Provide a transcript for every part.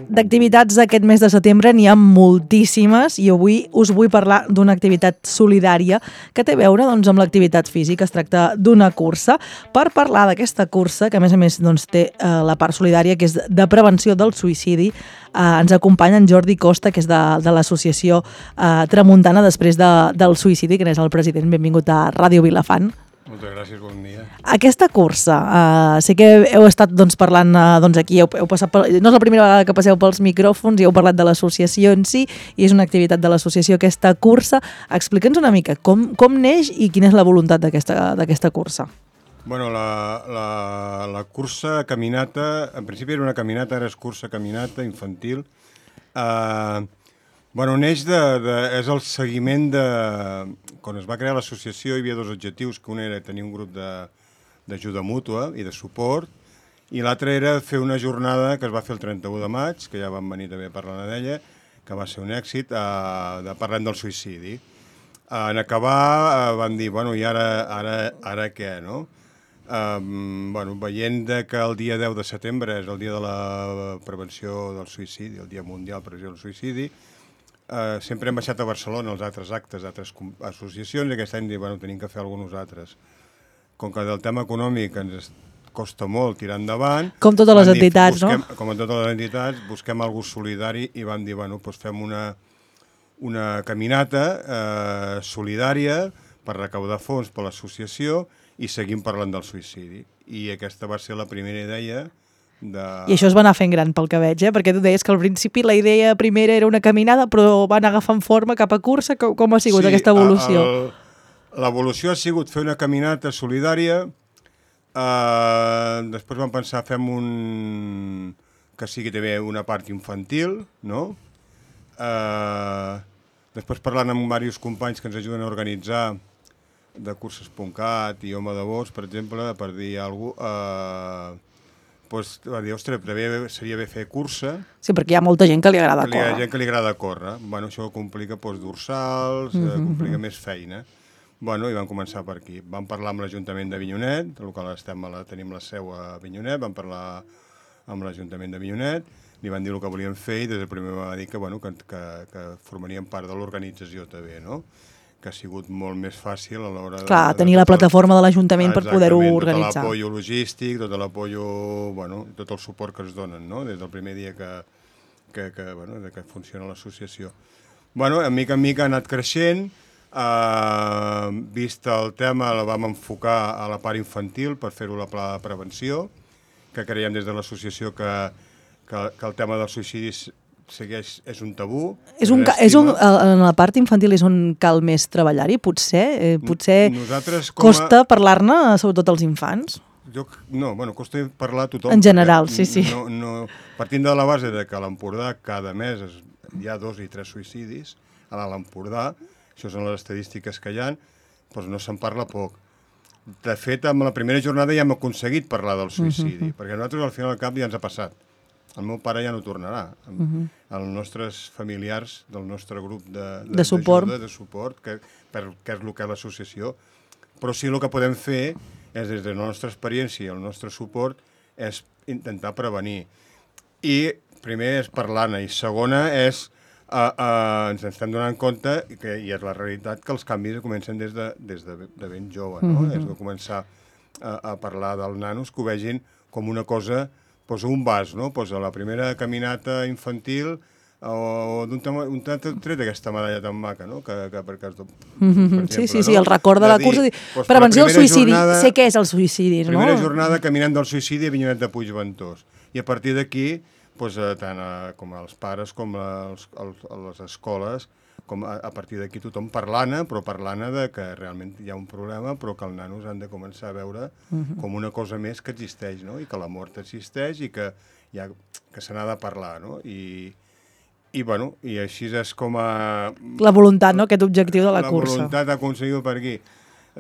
D'activitats aquest mes de setembre n'hi ha moltíssimes i avui us vull parlar d'una activitat solidària que té a veure amb l'activitat física. Es tracta d'una cursa. Per parlar d'aquesta cursa, que a més té la part solidària, que és de prevenció del suïcidi, ens acompanya en Jordi Costa, que és de l'associació Tramuntana després del suïcidi, que n'és el president. Benvingut a Ràdio Vilafant. Moltes gràcies, bon dia. Aquesta cursa, sé que heu estat parlant aquí, heu passat no és la primera vegada que passeu pels micròfons i heu parlat de l'associació en si, i és una activitat de l'associació aquesta cursa. Explica'ns una mica com neix i quina és la voluntat d'aquesta cursa. Bueno, la cursa caminata, en principi era una caminata, ara és cursa caminata infantil. Neix és el seguiment de... Quan es va crear l'associació hi havia dos objectius, que un era tenir un grup d'ajuda mútua i de suport, i l'altre era fer una jornada que es va fer el 31 de maig, que ja vam venir també parlant d'ella, que va ser un èxit, parlant del suïcidi. En acabar van dir, i ara què, no? Veient que el dia 10 de setembre és el dia de la prevenció del suïcidi, el dia mundial de prevenció del suïcidi, sempre hem baixat a Barcelona els altres actes d'altres associacions i aquest any tenim que fer alguns nosaltres. Com que del tema econòmic ens costa molt tirar endavant... Com totes les entitats, no? Com a totes les entitats, busquem algú solidari i vam dir, fem una caminata solidària per recaudar fons per l'associació i seguim parlant del suïcidi. I aquesta va ser la primera idea. I això es va anar fent gran pel que veig, perquè tu deies que al principi la idea primera era una caminada, però van agafant forma cap a cursa. Com ha sigut aquesta evolució? L'evolució ha sigut fer una caminata solidària, després vam pensar fem que sigui també una part infantil, no? Després parlant amb diversos companys que ens ajuden a organitzar de curses.cat i Home de Bosc, per exemple, per dir alguna cosa, va dir, ostres, seria bé fer cursa. Sí, perquè hi ha molta gent que li agrada córrer. Hi ha gent que li agrada córrer. Això complica dorsals, complica més feina. I vam començar per aquí. Vam parlar amb l'Ajuntament d'Avinyonet, del qual tenim la seu a Avinyonet, vam parlar amb l'Ajuntament d'Avinyonet, li van dir el que volíem fer i des del primer va dir que formarien part de l'organització també, no? Que ha sigut molt més fàcil a l'hora de... tenir la plataforma de l'Ajuntament per poder-ho organitzar. Tot l'apoyo logístic, tot l'apoyo, tot el suport que es donen, no? Des del primer dia que funciona l'associació. En mica en mica ha anat creixent, vist el tema la vam enfocar a la part infantil per fer-ho la pla de prevenció, que creiem des de l'associació que el tema del suïcidi és un tabú. En la part infantil és on cal més treballar-hi, potser? Potser costa parlar-ne, sobretot als infants? Costa parlar a tothom. En general, sí. Partint de la base que a l'Empordà cada mes hi ha 2 i 3 suïcidis, a l'Empordà, això són les estadístiques que hi ha, doncs no se'n parla poc. De fet, amb la primera jornada ja hem aconseguit parlar del suïcidi, perquè nosaltres al final del cap ja ens ha passat. El meu pare ja no tornarà. Els nostres familiars del nostre grup de suport, que és el que és l'associació. Però sí el que podem fer és, des de la nostra experiència i el nostre suport, és intentar prevenir. I primer és parlar-ne, i segona és ens estem donant compte, i és la realitat, que els canvis comencen des de ben jove, no? És de començar a parlar dels nanos, que ho vegin com una cosa, un vas, no? A la primera caminata infantil o d'un tret aquesta medalla tan maca, no? Sí, el record de la cursa. Prevenció del suïcidi, sé què és el suïcidi, no? Primera jornada caminant del suïcidi a Avinyonet de Puigventós. I a partir d'aquí, tant com els pares com les escoles, a partir d'aquí tothom parlant-ne, però parlant-ne que realment hi ha un problema, però que els nanos han de començar a veure com una cosa més que existeix, no? I que la mort existeix i que se n'ha de parlar, no? I així és com a... La voluntat, no?, aquest objectiu de la cursa. La voluntat aconseguida per aquí.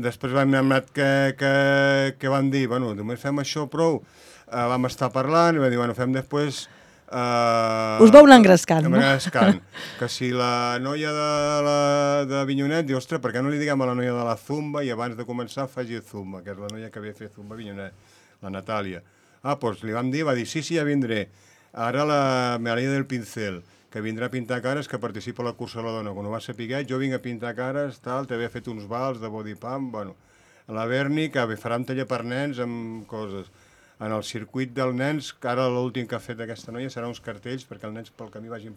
Després vam anat que vam dir, només fem això prou, vam estar parlant i vam dir, fem després... Us vau anar engrescant, no? Que si la noia d'Avinyonet diu, ostres, per què no li diguem a la noia de la Zumba i abans de començar faci Zumba, que és la noia que ve a fer Zumba a Avinyonet, la Natàlia. Doncs li vam dir, va dir, sí, ja vindré. Ara la Melania del Pincel, que vindrà a pintar cares, que participa a la cursa de la dona. Quan ho va saber, jo vinc a pintar cares, tal, t'havia fet uns vals de body pump, bueno. La Berni, que farà un taller per nens amb coses. En el circuit dels nens, que ara l'últim que ha fet aquesta noia serà uns cartells perquè els nens pel camí vagin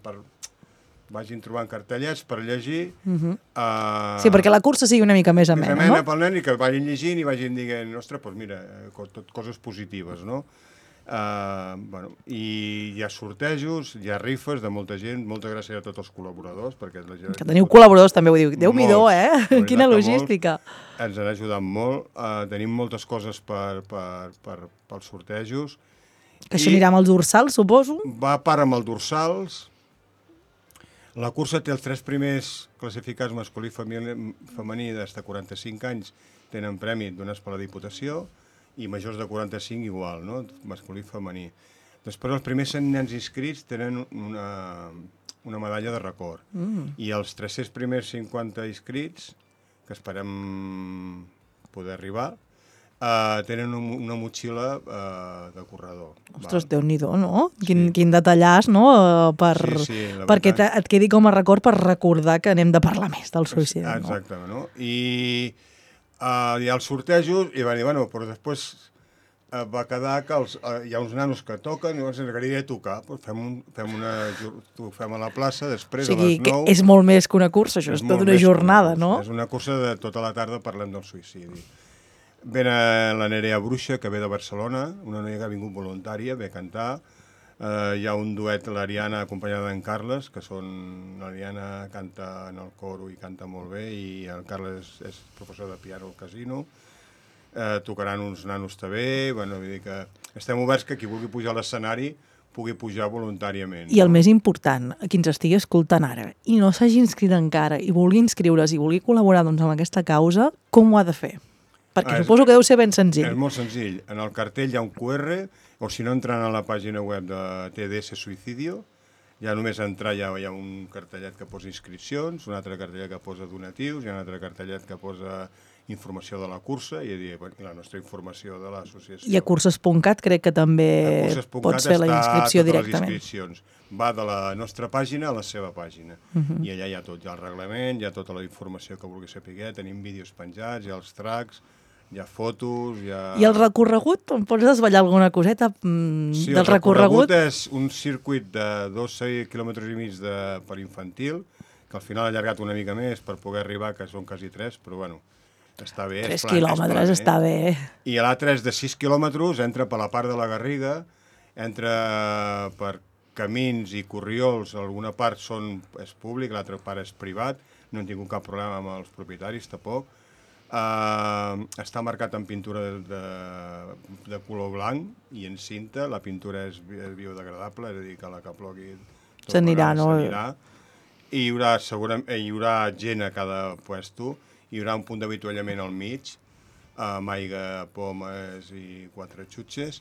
trobant cartellets per llegir. Sí, perquè la cursa sigui una mica més amena, no? Més amena pel nen i que vagin llegint i vagin dient, ostres, doncs mira, tot coses positives, no? I hi ha sortejos, hi ha rifes de molta gent, moltes gràcies a tots els col·laboradors. Perquè que teniu col·laboradors també, vull dir, Déu-n'hi-do, Quina logística. Ens han ajudat molt, tenim moltes coses pels sortejos. Que això anirà amb els dorsals, suposo? Va a part amb els dorsals. La cursa té els 3 primers classificats masculí i femení des de 45 anys, tenen premi donats per la Diputació, i majors de 45 igual, no? Masculí i femení. Després els primers 100 nens inscrits tenen una medalla de record. I els 300 primers 50 inscrits, que esperem poder arribar, tenen una motxilla de corredor. Ostres, Déu-n'hi-do, no? Quin detallàs, no? Perquè et quedi com a record per recordar que anem de parlar més del suïcidi. Exactament, no? I hi ha els sortejos, i va dir, bueno, però després va quedar que hi ha uns nanos que toquen, i llavors ens agradaria tocar. Ho fem a la plaça, després a les 9. O sigui, que és molt més que una cursa, això és tota una jornada, no? És una cursa de tota la tarda parlant del suïcidi. Ve la Nerea Bruixa, que ve de Barcelona, una noia que ha vingut voluntària, ve a cantar. Hi ha un duet, l'Ariana, acompanyada d'en Carles, que l'Ariana canta en el coro i canta molt bé, i el Carles és professor de piano al casino. Tocaran uns nanos també, vull dir que estem oberts que qui vulgui pujar a l'escenari pugui pujar voluntàriament. I el més important, a qui ens estigui escoltant ara, i no s'hagi inscrit encara, i vulgui inscriure's i vulgui col·laborar amb aquesta causa, com ho ha de fer? Perquè suposo que deu ser ben senzill. És molt senzill. En el cartell hi ha un QR, o si no entrant a la pàgina web de TDS Suïcidio, ja només entrar hi ha un cartellet que posa inscripcions, un altre cartellet que posa donatius, hi ha un altre cartellet que posa informació de la cursa i la nostra informació de l'associació. I a curses.cat crec que també pots fer la inscripció directament. Va de la nostra pàgina a la seva pàgina. I allà hi ha tot, hi ha el reglament, hi ha tota la informació que vulgui saber, tenim vídeos penjats, hi ha els tracks, hi ha fotos, hi ha... I el recorregut? Em pots desvetllar alguna coseta del recorregut? El recorregut és un circuit de 2,5 quilòmetres i mig per infantil, que al final ha allargat una mica més per poder arribar, que són quasi 3, però bueno, està bé. 3 quilòmetres està bé. I l'altre és de 6 quilòmetres, entra per la part de la Garriga, entra per camins i corriols, alguna part és públic, l'altra part és privat, no hem tingut cap problema amb els propietaris, tampoc. Està marcat en pintura de color blanc i en cinta, la pintura és biodegradable, és a dir, que la que plogui s'anirà, no? I hi haurà gent a cada puesto, hi haurà un punt d'avituallament al mig, amb aigua, pomes i 4 xutxes,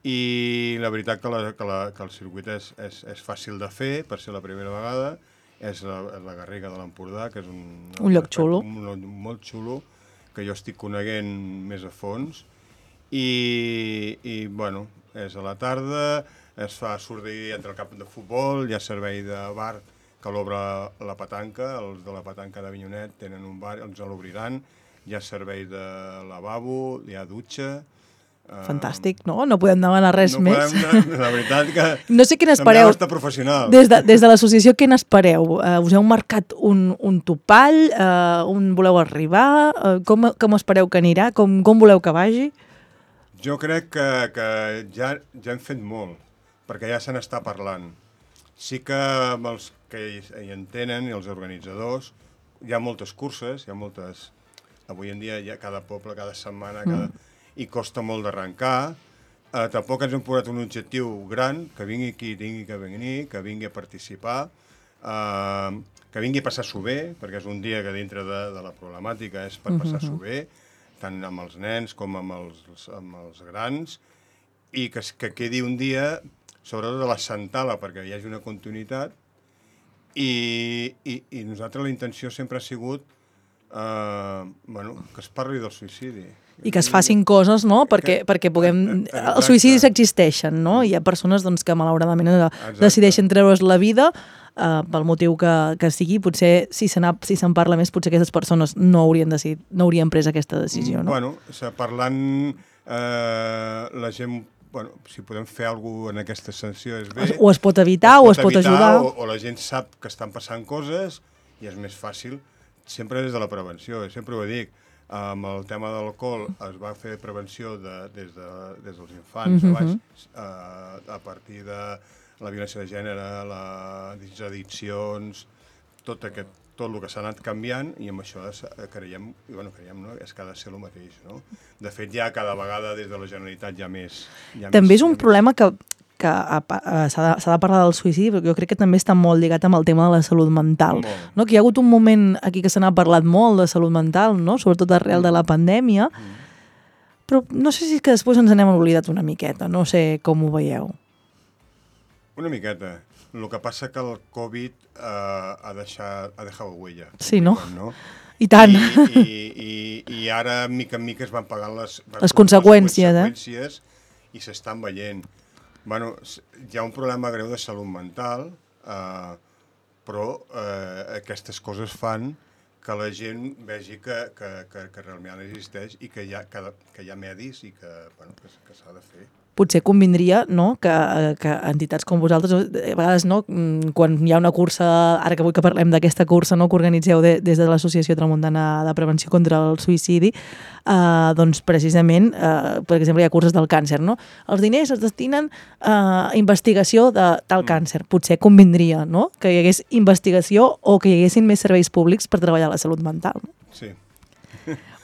i la veritat que el circuit és fàcil de fer, per ser la primera vegada, és la Garriga de l'Empordà, que és un lloc xulo. Un lloc molt xulo, que jo estic coneguent més a fons, i bueno, és a la tarda, es fa sortir entre el camp de futbol, hi ha servei de bar que l'obre la petanca, els de la petanca d'Avinyonet tenen un bar, ens l'obriran, hi ha servei de lavabo, hi ha dutxa... Fantàstic, no? No podem demanar res més. La veritat que... No sé què n'espereu. També està professional. Des de l'associació, què n'espereu? Us heu marcat un topall? On voleu arribar? Com espereu que anirà? Com voleu que vagi? Jo crec que ja hem fet molt, perquè ja se n'està parlant. Sí que amb els que hi entenen i els organitzadors, hi ha moltes curses, hi ha moltes... Avui en dia hi ha cada poble, cada setmana, i costa molt d'arrencar. Tampoc ens hem posat un objectiu gran, que vingui qui tingui que venir, que vingui a participar, que vingui a passar-s'ho bé, perquè és un dia que dintre de la problemàtica és per passar-s'ho bé, tant amb els nens com amb els grans, i que quedi un dia, sobretot de la Santala, perquè hi hagi una continuïtat, i nosaltres la intenció sempre ha sigut que es parli del suïcidi. I que es facin coses, no?, perquè puguem... Els suïcidis existeixen, no? Hi ha persones doncs, que malauradament decideixen treure's la vida pel motiu que sigui. Potser, si se'n parla més, potser aquestes persones no haurien pres aquesta decisió, no? Bueno, parlant la gent... Bueno, si podem fer alguna cosa en aquesta sanció és bé. O es pot evitar o es pot ajudar. O la gent sap que estan passant coses i és més fàcil, sempre des de la prevenció. Sempre ho dic, amb el tema de l'alcohol es va fer prevenció des dels infants, a partir de la violència de gènere, les addiccions, tot el que s'ha anat canviant, i amb això creiem, no? És que ha de ser el mateix, no? De fet, ja cada vegada des de la Generalitat hi ha més. També és un problema que s'ha de parlar del suïcidi, però jo crec que també està molt lligat amb el tema de la salut mental. No? Que hi ha hagut un moment aquí que se n'ha parlat molt de salut mental, no? Sobretot arrel de la pandèmia, però no sé si és que després ens n'hem oblidat una miqueta, no sé com ho veieu. Una miqueta. El que passa que el Covid ha dejado huella. Sí, no? I tant. I ara, mica en mica, es van pagant les conseqüències, i s'estan veient. Bueno, hi ha un problema greu de salut mental, però aquestes coses fan que la gent vegi que realment existeix i que hi ha medis i que s'ha de fer. Potser convindria, no?, que entitats com vosaltres, a vegades, no?, quan hi ha una cursa, ara que vull que parlem d'aquesta cursa, no?, que organitzeu des de l'Associació Tramuntana de Prevenció contra el Suïcidi, doncs precisament, per exemple, hi ha curses del càncer, no? Els diners es destinen a investigació de tal càncer. Potser convindria, no?, que hi hagués investigació o que hi haguessin més serveis públics per treballar la salut mental. Sí.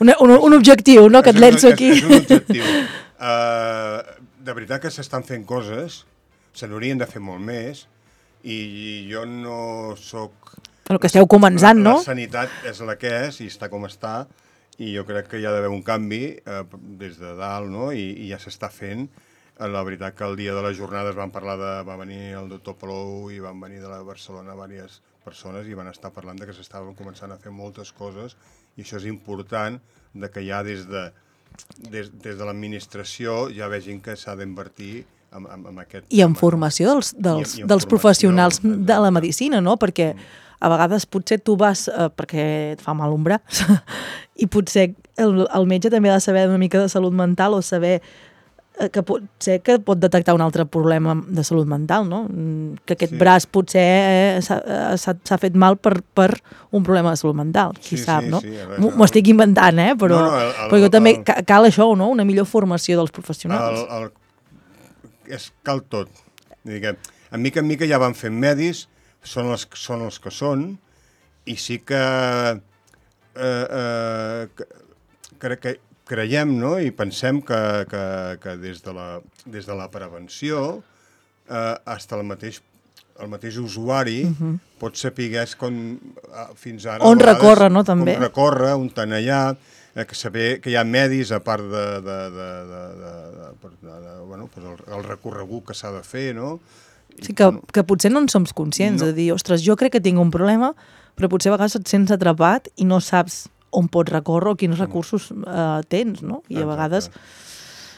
Un objectiu, no?, que et llenço aquí. És un objectiu. De veritat que s'estan fent coses, se n'haurien de fer molt més, i jo no soc... Però que esteu començant, no? La sanitat és la que és i està com està, i jo crec que hi ha d'haver un canvi des de dalt, no? I ja s'està fent. La veritat que el dia de les jornades va venir el doctor Palou i van venir de la Barcelona diverses persones i van estar parlant que s'estaven començant a fer moltes coses, i això és important, que ja des de l'administració ja vegin que s'ha d'invertir en aquest... I en formació dels professionals de la medicina, no? Perquè a vegades potser tu vas perquè et fa mal un braç i potser el metge també ha de saber una mica de salut mental o saber que potser que pot detectar un altre problema de salut mental, no? Que aquest braç potser s'ha fet mal per un problema de salut mental, qui sap, no? M'ho estic inventant, però jo també cal això, no? Una millor formació dels professionals. Cal tot. En mica ja van fent medis, són els que són, i sí que creiem, no?, i pensem que des de la prevenció fins el mateix usuari pot saber fins ara... On recórrer, no?, també. On recórrer, on anar, saber que hi ha medis a part el recorregut que s'ha de fer, no? Sí, que potser no en som conscients, de dir, ostres, jo crec que tinc un problema, però potser a vegades et sents atrapat i no saps on pots recórrer o quins recursos tens, no? I a vegades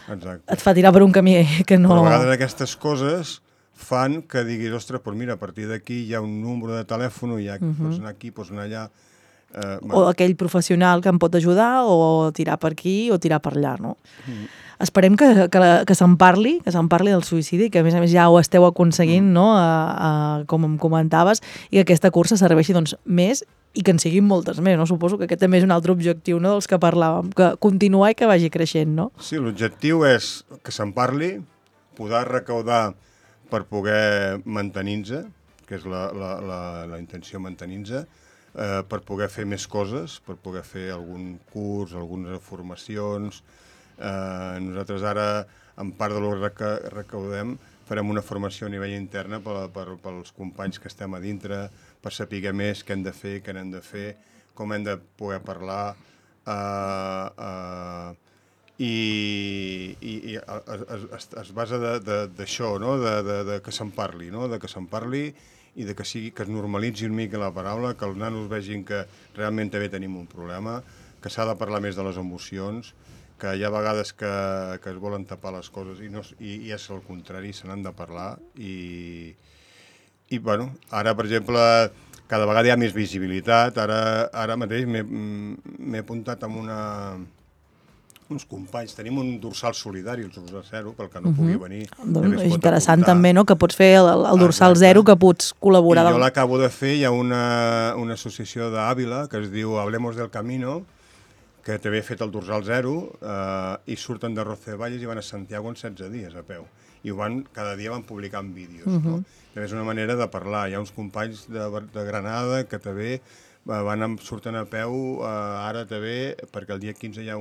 et fa tirar per un camí que no... Però a vegades aquestes coses fan que diguis, ostres, doncs mira, a partir d'aquí hi ha un número de telèfon, pots anar aquí, pots anar allà... O aquell professional que em pot ajudar, o tirar per aquí o tirar per allà, no? Esperem que se'n parli del suïcidi, que a més ja ho esteu aconseguint, no?, com em comentaves, i que aquesta cursa serveixi més i que en siguin moltes més, no? Suposo que aquest també és un altre objectiu, no?, dels que parlàvem, que continuar i que vagi creixent, no? Sí, l'objectiu és que se'n parli, poder recaudar per poder mantenir-se, que és la intenció, mantenir-se, per poder fer més coses, per poder fer algun curs, algunes formacions. Nosaltres ara, en part de que recaudem, farem una formació a nivell interna pels companys que estem a dintre, per saber més què hem de fer, què no hem de fer, com hem de poder parlar, i es basa d'això, no?, de que se'n parli, no?, de que se'n parli i que es normalitzi una mica la paraula, que els nanos vegin que realment també tenim un problema, que s'ha de parlar més de les emocions, que hi ha vegades que es volen tapar les coses i és el contrari, se n'han de parlar i bueno, ara per exemple cada vegada hi ha més visibilitat, ara mateix m'he apuntat amb uns companys, tenim un dorsal solidari, el dorsal zero, pel que no pugui venir. Doncs és interessant també, no?, que pots fer el dorsal zero, que pots col·laborar. I jo l'acabo de fer, hi ha una associació d'Àvila que es diu Hablemos del Camino, que també ha fet el dorsal zero i surten de Roncesvalles i van a Santiago en 16 dies a peu. I cada dia van publicant vídeos. No? També és una manera de parlar. Hi ha uns companys de Granada que també surten a peu ara també, perquè el dia 15 hi ha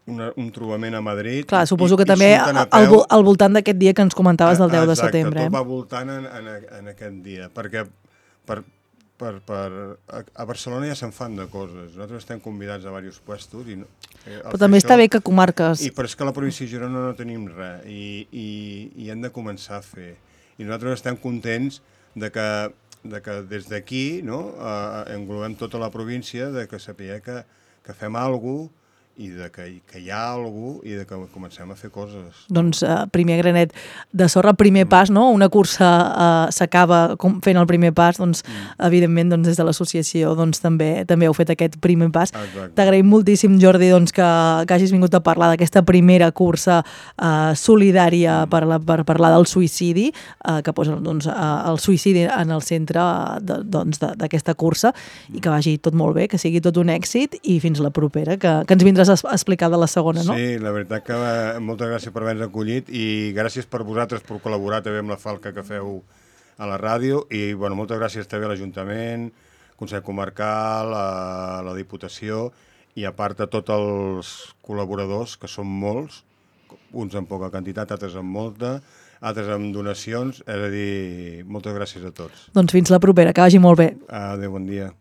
un trobament a Madrid. Clar, suposo que també al voltant d'aquest dia que ens comentaves del 10 de setembre. Exacte, tot va voltant en aquest dia, perquè a Barcelona ja se'n fan de coses. Nosaltres estem convidats a diversos puestos. Però també està bé que comarques... Però és que a la província de Girona no tenim res i hem de començar a fer. I nosaltres estem contents de que des d'aquí englobem tota la província, de que sapiguem que fem alguna cosa i que hi ha alguna cosa i que comencem a fer coses. Doncs primer granet de sorra, primer pas, no? Una cursa s'acaba fent el primer pas, doncs evidentment des de l'associació també heu fet aquest primer pas. T'agraïm moltíssim, Jordi, que hagis vingut a parlar d'aquesta primera cursa solidària per parlar del suïcidi, que posa el suïcidi en el centre d'aquesta cursa i que vagi tot molt bé, que sigui tot un èxit i fins la propera, que ens vindràs a explicar de la segona, no? Sí, la veritat que moltes gràcies per haver-nos acollit i gràcies per vosaltres per col·laborar també amb la falca que feu a la ràdio i moltes gràcies també a l'Ajuntament, Consell Comarcal, a la Diputació i a part de tots els col·laboradors, que són molts, uns amb poca quantitat, altres amb molta, altres amb donacions, és a dir, moltes gràcies a tots. Doncs fins la propera, que vagi molt bé. Adéu, bon dia.